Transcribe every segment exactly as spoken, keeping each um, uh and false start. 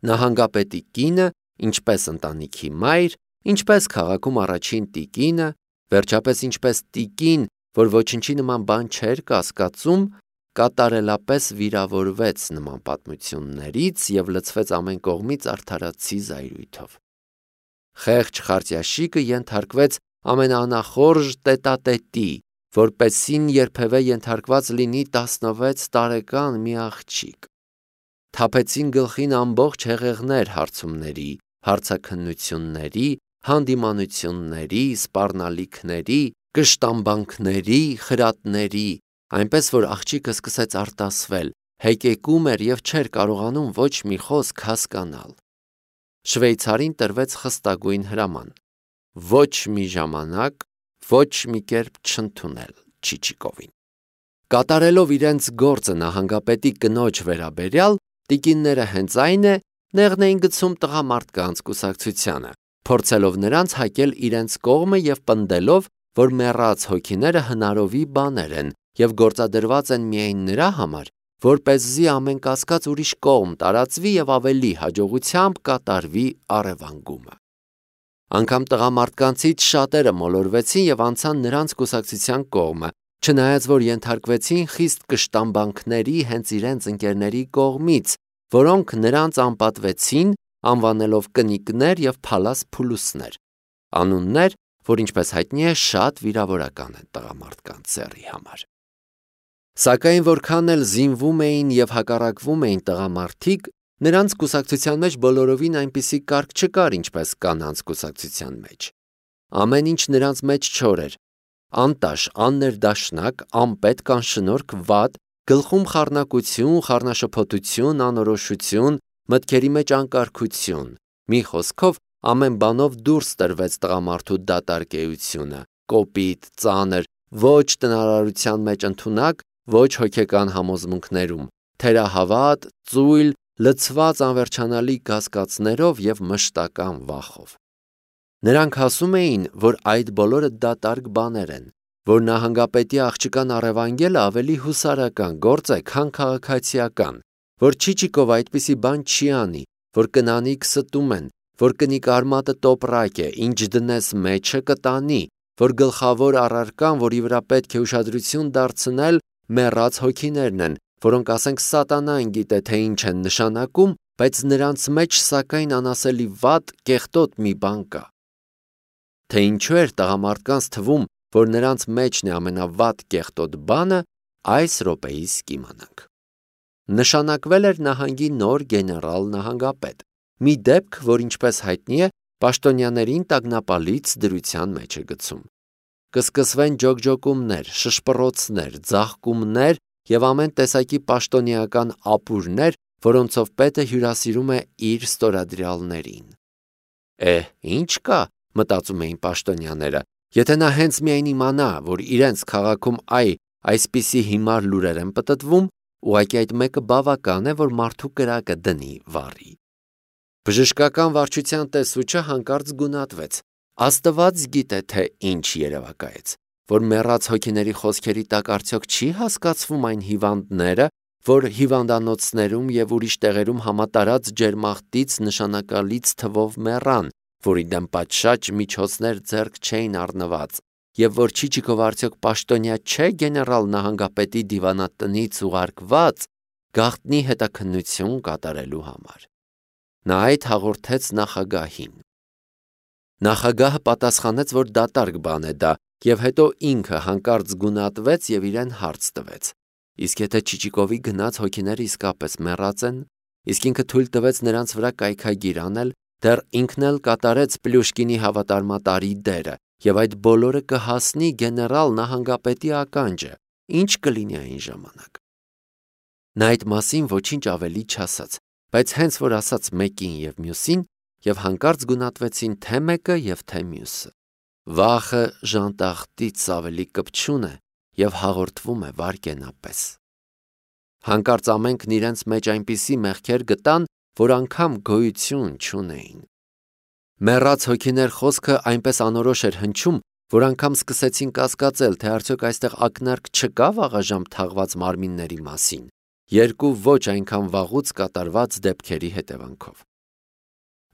նահանգապետի կինը, ինչպես ընտանիքի մայր, ինչպես քաղաքում առաջին տիկինը, վերջապես ինչպես տիկին, որ ոչնչի նման բան չէր կասկածում, կատարելապես վիրավորվեց նման պատմություններից և լցվեց ամեն կողմից արդարացի զայրույթով։ Խեղճ Խարտյաշիկը ենթարկվեց ամենաանախորժ տետատետի, որպեսզին երբևէ ենթարկված լինի տասնվեց տարեկան մի աղջիկ։ Թափեցին գլխին ամբողջ հեղեղներ հարցումների, հարցաքննությունների, հանդիմանությունների, սպառնալիքների, կշտամբանքների, խրատների, այնպես որ աղջիկը սկսեց արտասվել, հեկեկում էր և չէր կարողանում ոչ մի խոսք հասկանալ։ Շվեյցարին տրվեց խստագույն հրաման. ոչ մի ժամանակ, ոչ մի կերպ չընդունել Չիչիկովին։ Կատարելով իրենց գործը նահանգապետի կնոջ վերաբերյալ, տիկինները հենց այն է, նեղն էին գցում տղամարդկանց կուսակցությանը, փորձելով նրանց հակել իրենց կողմը և պնդելով, որ մեռած հոգիները հնարովի բաներ են և գործադրված են միայն նրա համար, որպեսզի ամեն կասկած ուրիշ կողմ տարածվի և ավելի հաջողությամբ կատարվի առևանգումը։ Անգամ տղամարդկանցից շատերը մոլորվեցին և անցան նրանց կուսակցության կողմը, չնայած որ ենթարկվեցին խիստ կշտամբանքների հենց իրենց ընկերների կողմից, որոնք նրանց անպատվեցին, անվանելով կնիկներ և փալաս փուլուսներ, անուններ, որ ինչպես հայտնի է, շատ վիրավորական են տղամարդկանց սեռի համար։ Սակայն որքան էլ զինվում էին և հակառակվում էին տղամարդիկ, նրանց կուսակցության մեջ բոլորովին այնպիսի կարգ չկար, ինչպես կանանց կուսակցության մեջ։ Ամեն ինչ նրանց մեջ չոր էր, անտաշ, աններդաշնակ, անպետք, անշնորհք, վատ, գլխում խառնակություն, խառնաշփոթություն, անորոշություն, մտքերի մեջ անկարգություն, մի խոսքով ամեն բանով դուրս տրվեց տղամարդու դատարկ էությունը, կոպիտ, ծանր, ոչ տնարարության մեջ ընդունակ, ոչ հոգեկան համոզմունքներում, թերահավատ, ծույլ, լցված անվերջանալի կասկածներով և մշտական վախով։ Նրանք ասում էին, որ այդ բոլորը դատարկ բաներ են, որ նահանգապետի աղջկան առևանգելը ավելի հուսարական գործ է, քան քաղաքացիական, որ Չիչիկովը այդպիսի բան չի անի, որ կնանիք ստում են, որ կնիկ արմատը տոպրակ է, ինչ դնես մեջը կտանի, որ գլխավոր առարկան, որի վրա պետք է ուշադրություն դարձնել, մեռած հոգիներն են, որոնք ասենք սատանան գիտե, թե ինչ են նշանակում, բայց նրանց մեջ սակայն անասելի վատ, կեղտոտ մի բան կա։ Թե ինչու էր տղամարդկանց թվում, որ նրանց մեջն է ամենավատ կեղտոտ բանը, այս րոպեիս կիմանանք։ Նշանակվել էր նահանգի նոր գեներալ նահանգապետ, մի դեպք, որ ինչպես հայտնի է, պաշտոնյաներին տագնապալից դրության մեջ է գցում։ Կսկսվեն ջոկջոկումներ, շշպռոցներ, ձաղկումներ և ամեն տեսակի պաշտոնեական ապուրներ, որոնցով պետը հյուրասիրում է իր ստորադրյալներին։ Էհ, ինչ կա, մտածում էին պաշտոնյաները, եթե նա հենց միայն իմանա, որ իրենց քաղաքում այ այսպիսի հիմար լուրեր են պտտվում, ուղղակի այդ մեկը բավական է, որ մարդու կրակը դնի վառի։ Բժշկական վարչության տեսուչը հանկարծ գունատվեց։ Աստված գիտե, թե ինչ երևակայեց, որ մեռած հոգիների խոսքերի տակ արդյոք չի հասկացվում այն հիվանդները, որ հիվանդանոցներում և ուրիշ տեղերում համատարած ջերմախտից նշանակալից թվով մեռան, որի դեմ պատշաճ միջոցներ ձեռք չէին առնված, և որ Չիչիկովը արդյոք պաշտոնյա չէ գեներալ նահանգապետի դիվանատնից ուղարկված գաղտնի հետաքննություն կատարելու համար։ Նա այդ հաղորդեց նախագահին։ Նախագահը պատասխանեց, որ դատարկ բան է դա, և հետո ինքը հանկարծ գունատվեց և իրեն հարց տվեց. իսկ եթե Չիչիկովի գնած հոգիները իսկապես մեռած են, իսկ ինքը թույլ տվեց նրանց վրա կայքագիր անել, դեռ ինքն էլ կատարեց Պլյուշկինի հավատարմատարի դերը, և այդ բոլորը կհասնի գեներալ նահանգապետի ականջը, ինչ կլինի այն ժամանակ։ Նա այդ մասին ոչինչ ավելի չասաց, բայց հենց որ ասաց մեկին և մյուսին, և հանկարծ գունատվեցին թե մեկը և թե մյուսը։ Վախը ժանտախտից ավելի կպչուն է և հաղորդվում է վայրկենապես։ Հանկարծ ամենքն իրենց մեջ այնպիսի մեղքեր գտան, որ անգամ գոյություն չունեին։ Մեռած հոգիներ խոսքը այնպես անորոշ էր հնչում, որ անգամ սկսեցին կասկածել, թե արդյոք այստեղ ակնարկ չկա վաղաժամ թաղված մարմինների մասին, երկու ոչ այնքան վաղուց կատարված դեպքերի հետևանքով։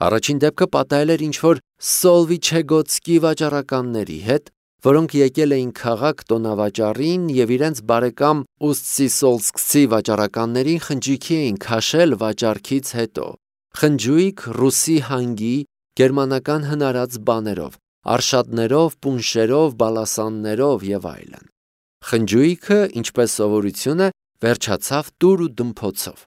Առաջին դեպքը պատահել էր ինչ-որ Սոլվիչեգոտսկի վաճառականների հետ, որոնք եկել էին քաղաք տոնավաճառին և իրենց բարեկամ Ուսցիսոլսկցի վաճառականներին խնջույքի էին քաշել վաճառքից հետո։ Խնջույք ռուսի հանգի, գերմանական հնարած բաներով, արշատներով, պունշերով, բալասաններով և այլն։ Խնջույքը, ինչպես սովորություն է, վերջացավ տուր ու դմփոցով։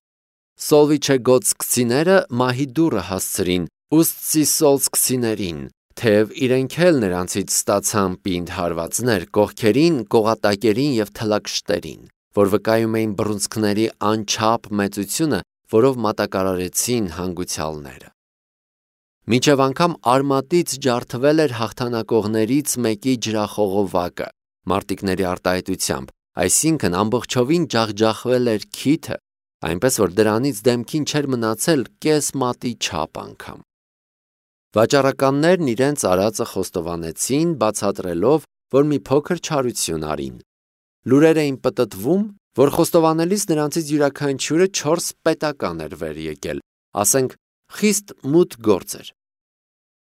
Սոլվիչեգոտսկցիները մահի դուռը հասցրին ուսցիսոլսկցիներին, թեև իրենք էլ նրանցից ստացան պինդ հարվածներ կողքերին, կողատակերին և թլակշտերին, որ վկայում էին բռունցքների անչափ մեծությունը, որով մատակարարեցին հանգուցյալները։ Մինչև անգամ արմատից ջարդվել էր հաղթանակողներից մեկի ջրախողովակը, մարտիկների արտահայտությամբ, այսինքն ամբողջովին ջախջախվել էր քիթը, այնպես որ դրանից դեմքին չէր մնացել կես մատի չափ անգամ։ Վաճառականներն իրենց արածը խոստովանեցին, բացատրելով, որ մի փոքր չարություն արին։ Լուրեր էին պտտվում, որ խոստովանելիս նրանցից յուրաքանչյուրը չորս պետական էր վեր եկել, ասենք խիստ մութ գործ էր։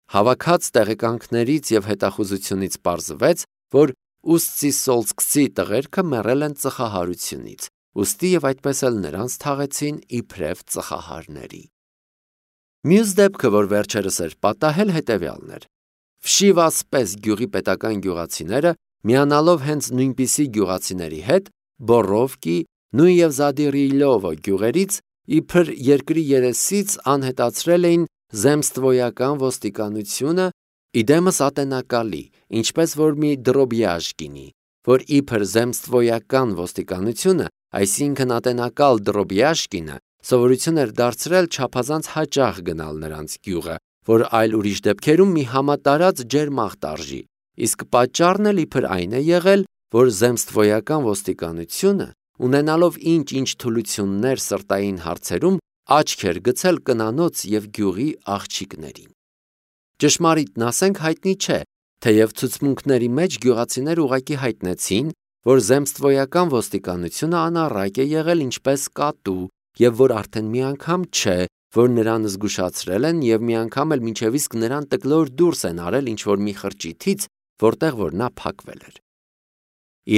Հավաքած տեղեկանքներից և հետախուզությունից պարզվեց, որ ուսցիսոլսկցի տղերքը մեռել են ծխահարությունից, ուստի և այդպես էլ նրանց թաղեցին իբրև ծխահարների։ Մյուս դեպքը, որ վերջերս էր պատահել, հետևյալն էր։ Վշիվասպես գյուղի պետական գյուղացիները, միանալով հենց նույնպիսի գյուղացիների հետ, Բոռովկի, նույն և Զադիրիլովո գյուղերից, իբր երկրի երեսից անհետացրել էին Զեմստվոյական ոստիկանությունը, իդեմս ատենակալի, ինչպես որ մի Դրոբյաժկինի, որ իբր Զեմստվոյական ոստիկանությունը, այսինքն ատենակալ Դրոբյաժկինը, սովորություն էր դարձրել չափազանց հաճախ գնալ նրանց գյուղը, որ այլ ուրիշ դեպքերում մի համատարած ջերմաղ տարժի, իսկ պատճառն էլ իբր այն է եղել, որ Զեմստվոյական ոստիկանությունը, ունենալով ինչ-ինչ թուլություններ սրտային հարցերում, աչք էր գցել կնանոց և գյուղի աղջիկներին։ Ճշմարիտն ասենք հայտնի չէ, թեև ցուցմունքների մեջ գյուղացիներ ուղղակի հայտնեցին, որ Զեմստվոյական ոստիկանությունը անառակ է եղել ինչպես կատու և որ արդեն մի անգամ չէ, որ նրան զգուշացրել են և մի անգամ էլ մինչև իսկ նրան տկլոր դուրս են արել ինչ-որ մի խրճիթից, որտեղ որ նա փակվել էր։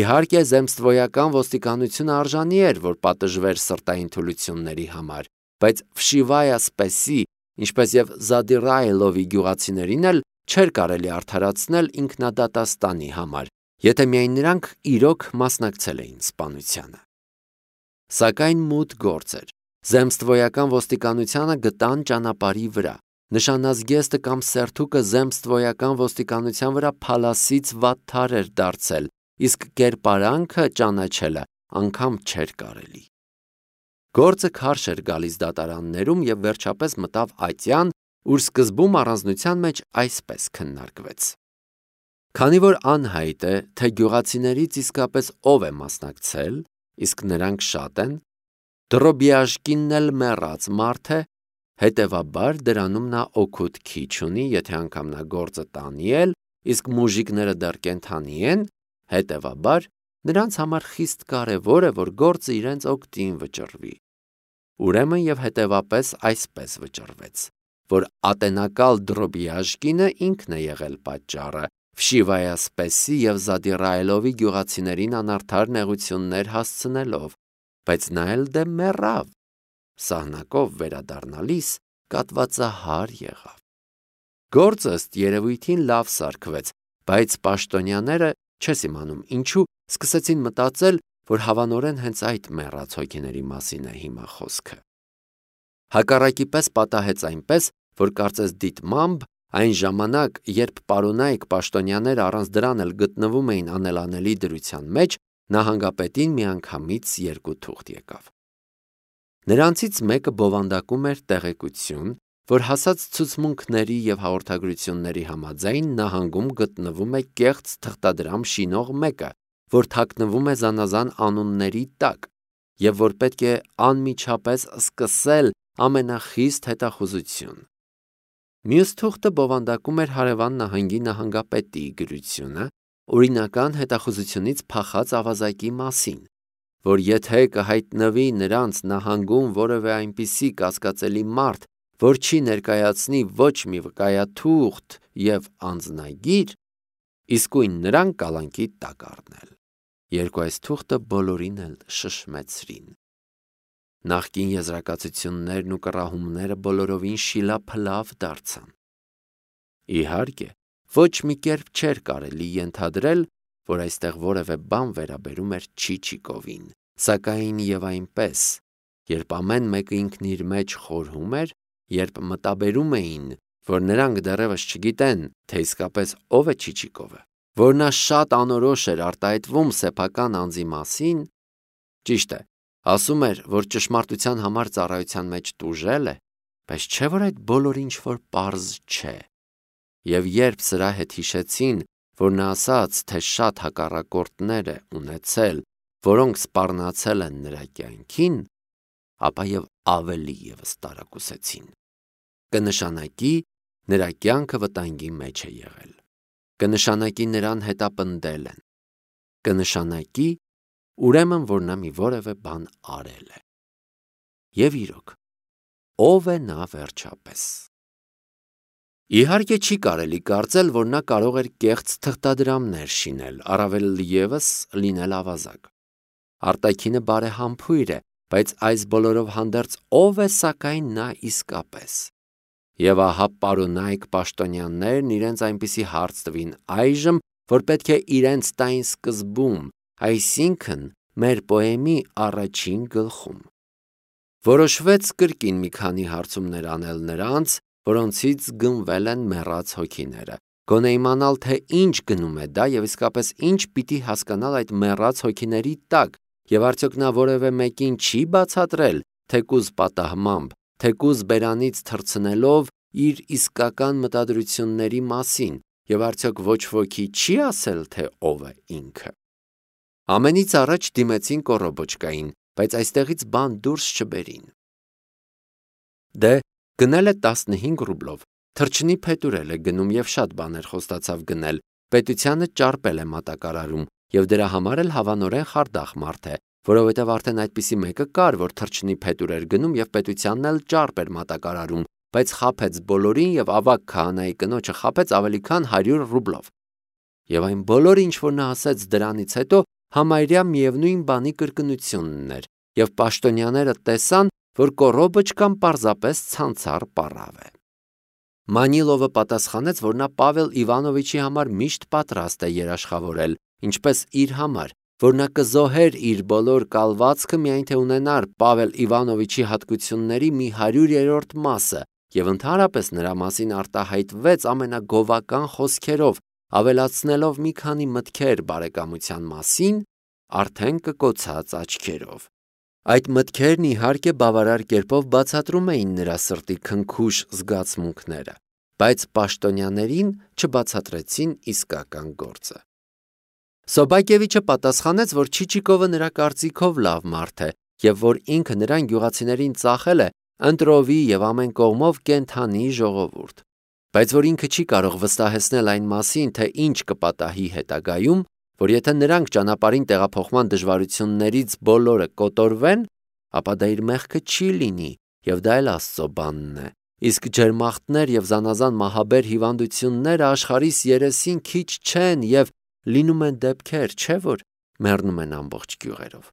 Իհարկե Զեմստվոյական ոստիկանությունը արժանի էր, որ պատժվեր սրտային թուլությունների համար, բայց Վշիվայասպեսի, ինչպես և Զադիրայլովի գյուղացիներին էլ չէր կարելի արդարացնել ինքնադատաստանի համար, եթե միայն նրանք իրոք մասնակցել էին սպանությանը։ Սակայն մութ գործ էր։ Զեմստվոյական ոստիկանությանը գտան ճանապարհի վրա։ Նշանազգեստը կամ սերթուկը Զեմստվոյական ոստիկանության վրա փալասից վատթար էր դարձել, իսկ կերպարանքը ճանաչելը անգամ չէր կարելի։ Գործը քարշ էր գալիս դատարաններում և վերջապես մտավ ատյան, ուր սկզբում առանձնության մեջ այսպես քննարկվեց. Քանի որ անհայտ է, թե գյուղացիներից իսկապես ով է մասնակցել, իսկ նրանք շատ են, Դրոբյաժկինն էլ մեռած մարդ է, հետևաբար դրանում նա օգուտ քիչ ունի, եթե անգամ նա գործը տանի էլ, իսկ մուժիկները դեռ կենդանի են, հետևաբար նրանց համար խիստ կարևոր է, որ գործը իրենց օգտին վճռվի։ Ուրեմն և հետևապես այսպես վճռվեց, որ ատենակալ Դրոբյաժկինը ինքն է եղել պատճառը, Վշիվայասպեսի և Զադիրայլովի գյուղացիներին անարդար նեղություններ հասցնելով, բայց նա էլ դե մեռավ, սահնակով վերադառնալիս կատվածահար եղավ։ Գործը ըստ երևույթին լավ սարքվեց, բայց պաշտոնյաները, չես իմանում ինչու, սկսեցին մտածել, որ հավանորեն հենց այդ մեռած հոգիների մասին է հիմա խոսքը։ Հակառակի պես պատահեց այնպես, որ կարծես դիտմամբ այն ժամանակ, երբ պարոնայք պաշտոնյաները առանց դրան էլ գտնվում էին անելանելի դրության մեջ, նահանգապետին միանգամից երկու թուղթ եկավ։ Նրանցից մեկը բովանդակում էր տեղեկություն, որ հասած ցուցմունքների և հաղորդագրությունների համաձայն նահանգում գտնվում է կեղծ թղթադրամ շինող մեկը, որ թաքնվում է զանազան անունների տակ, և որ պետք է անմիջապես սկսել ամենախիստ հետախուզություն։ Մյուս թուղթը բովանդակում էր հարևան նահանգի նահանգապետի գրությունը օրինական հետախուզությունից փախած ավազակի մասին, որ եթե կհայտնվի նրանց նահանգում որևէ այնպիսի կասկածելի մարդ, որ չի ներկայացնի ոչ մի վկայաթուղթ և անձնագիր, իսկույն նրան կալանքի տակ առնել։ Երկու այս թուղթը բոլորին էլ շշմեցրին։ Նախկին եզրակացություններն ու կռահումները բոլորովին շիլափլավ դարձան։ Իհարկե, ոչ մի կերպ չէր կարելի ենթադրել, որ այստեղ որևէ բան վերաբերում էր Չիչիկովին, սակայն և այնպես, երբ ամեն մեկը ինքն իր մեջ խորհում էր, երբ մտաբերում էին, որ նրանք դեռևս չգիտեն, թե իսկապես ով է Չիչիկովը, որ նա շատ անորոշ էր արտահայտվում սեփական անձի մասին, ճիշտ է, ասում էր, որ ճշմարտության համար ծառայության մեջ տուժել է, բայց չէ՞ որ այդ բոլորը ինչ-որ պարզ չէ։ Եվ երբ սրա հետ հիշեցին, որ նա ասաց, թե շատ հակառակորդներ է ունեցել, որոնք սպառնացել են նրա կյանքին, ապա և ավելի ևս տարակուսեցին։ Կնշանակի, նրա կյանքը վտանգի մեջ է եղել։ Կնշանակի, նրան հետապնդել են։ Կնշանակի, ուրեմն, որ նա մի որևէ բան արել է։ Եվ իրոք, ո՞վ է նա վերջապես։ Իհարկե չի կարելի կարծել, որ նա կարող էր կեղծ թղթադրամներ շինել, առավել ևս լինել ավազակ։ Արտաքինը բարեհամբույր է, բայց այս բոլորով հանդերձ ո՞վ է սակայն նա իսկապես։ Եվ ահա պարոնայք պաշտոնյաներն իրենց այնպիսի հարց տվին այժմ, որ պետք է իրենց տային սկզբում, այսինքն մեր պոեմի առաջին գլխում։ Որոշվեց կրկին մի քանի հարցումներ անել նրանց, որոնցից գնվել են մեռած հոգիները, գոնե իմանալ, թե ինչ գնում է դա և իսկապես ինչ պիտի հասկանալ այդ մեռած հոգիների տակ, և արդյոք նա որևէ մեկին չի բացատրել, թեկուզ պատահմամբ, թեկուզ բերանից թռցնելով իր իսկական մտադրությունների մասին, և արդյոք ոչ ոքի չի ասել, թե ով է ինքը։ Ամենից առաջ դիմեցին կոռոբոչկային, բայց այստեղից բան դուրս չբերին։ Դե, գնել է տասնհինգ ռուբլով, թռչնի փետուրել է գնում և շատ բաներ խոստացավ գնել, պետությանը ճարպել է մատակարարում և դրա համար էլ հավանորեն խարդախ մարդ է, որովհետև արդեն այդպիսի մեկը կար, որ թռչնի փետուր էր գնում և պետությանն էլ ճարպ էր մատակարարում, բայց խաբեց բոլորին և ավագ քահանայի կնոջը խաբեց ավելի քան հարյուր ռուբլով։ Եվ այն բոլորը, ինչ որ նա ասեց դրանից հետո, համարյա միևնույն բանի կրկնությունն էր, և պաշտոնյաները տեսան, որ կոռոբոչկան պարզապես ցանցառ պառավ է։ Մանիլովը պատասխանեց, որ նա Պավել Իվանովիչի համար միշտ պատրաստ է երաշխավորել, ինչպես իր համար, որ նա կզոհեր իր բոլոր կալվածքը, միայն թե ունենար Պավել Իվանովիչի հատկությունների մի հարյուրերորդ մասը, և ընդհանրապես նրա մասին արտահայտվեց ամենագովական խոսքերով, ավելացնելով մի քանի մտքեր բարեկամության մասին, արդեն կկոցած աչքերով։ Այդ մտքերն իհարկե բավարար կերպով բացատրում էին նրա սրտի քնքուշ զգացմունքները, բայց պաշտոնյաներին չբացատրեցին իսկական գործը։ Սոբակևիչը պատասխանեց, որ Չիչիկովը նրա կարծիքով լավ մարդ է, և որ ինքը նրան գյուղացիներին ծախել է ընտրովի և ամեն կողմով կենդանի ժողովուրդ, բայց որ ինքը չի կարող վստահեցնել այն մասին, թե ինչ կպատահի հետագայում, որ եթե նրանք ճանապարհին տեղափոխման դժվարություններից բոլորը կոտորվեն, ապա դա իր մեղքը չի լինի, և դա էլ Աստծո բանն է, իսկ ջերմախտներ և զանազան մահաբեր հիվանդությունները աշխարհիս երեսին քիչ չեն և լինում են դեպքեր, չէ՞ որ մեռնում են ամբողջ գյուղերով։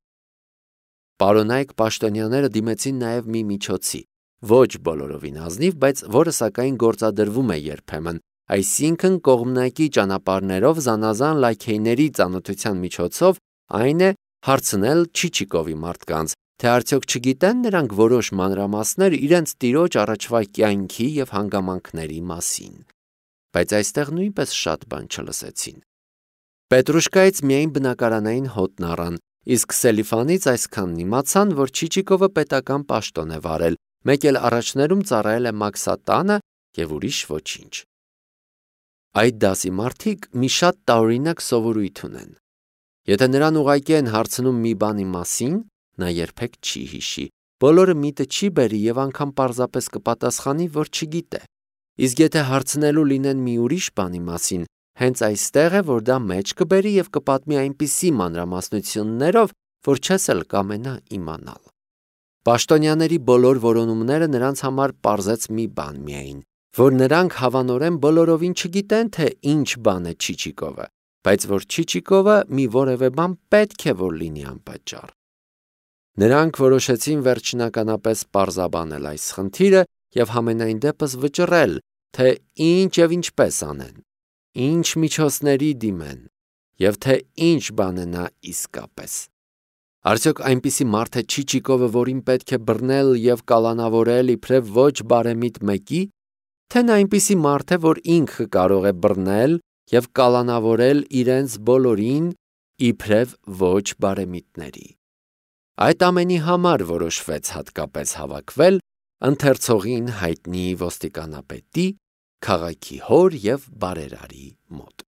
Պարոնայք պաշտոնյաները դիմեցին նաև մի միջոցի, ոչ բոլորովին ազնիվ, բայց որը սակայն գործադրվում է երբեմն, այսինքն կողմնակի ճանապարհներով զանազան լաքեյների ծանոթության միջոցով, այն է հարցնել Չիչիկովի մարդկանց, թե արդյոք չգիտեն նրանք որոշ մանրամասներ իրենց տիրոջ առաջվա կյանքի և հանգամանքների մասին։ Բայց այստեղ նույնպես շատ բան չլսեցին։ Պետրուշկայից միայն բնակարանային հոտն առան, իսկ Սելիֆանից այսքանն իմացան, որ Չիչիկովը պետական պաշտոն է վարել, մեկ էլ առաջներում ծառայել է Մաքսատանը և ուրիշ ոչինչ։ Այդ դասի մարդիկ մի շատ տարօրինակ սովորույթ ունեն։ Եթե նրան ուղղակի են հարցնում մի բանի մասին, նա երբեք չի հիշի, բոլորը միտը չի բերի և անգամ պարզապես կպատասխանի, որ չգիտե։ Իսկ եթե հարցնելու լինեն մի ուրիշ բանի մասին, հենց այստեղ է, որ դա մեջ կբերի և կպատմի այնպիսի մանրամասնություններով, որ չես էլ կամենա իմանալ։ Պաշտոնյաների բոլոր որոնումները նրանց համար պարզեց մի բան միայն, որ նրանք հավանորեն բոլորովին չգիտեն, թե ինչ բան է Չիչիկովը, բայց որ Չիչիկովը մի որևէ բան պետք է որ լինի անպատճառ։ Նրանք որոշեցին վերջնականապես պարզաբանել այս խնդիրը և համենայն դեպս վճռել, թե ինչ և ինչպես անեն, ինչ միջոցների դիմեն և թե ինչ բան է նա իսկապես։ Արդյոք այնպիսի մարդ է Չիչիկովը, որին պետք է բռնել և կալանավորել իբրև ոչ բարեմիտ մեկի, թե նա այնպիսի մարդ է, որ ինքը կարող է բռնել և կալանավորել իրենց բոլորին իբրև ոչ բարեմիտների։ Այդ ամենի համար որոշվեց հատկապես հավաքվել ընթերցողին հայտնի ոստիկանապետի, քաղաքի հոր և բարերարի մոտ։